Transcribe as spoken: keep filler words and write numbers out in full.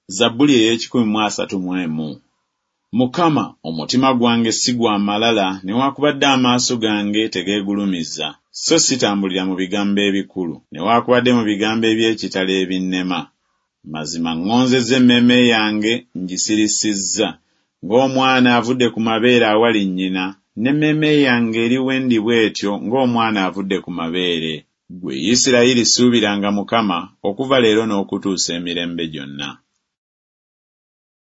Zabbuli ey'ekikumi mu asatu mu emu. Mukama, omutima gwange si gwa malala, newaakubadde amaaso gange tegeegulumiza, so sitambulira mu bigambo ebikulu, newaakubadde mu bigambo eby'ekitalo ebinnema. Mazima ŋŋonzezza emmeeme yange ngisirisizza, ng'omwana avudde ku mabeere awali nnyina, n'emmeeme yange eri we ndi bw'etyo ng'omwana avudde ku mabeere. Ggwe Isirayiri suubiranga Mukama, okuva leero n'okutuusa emirembe gyonna.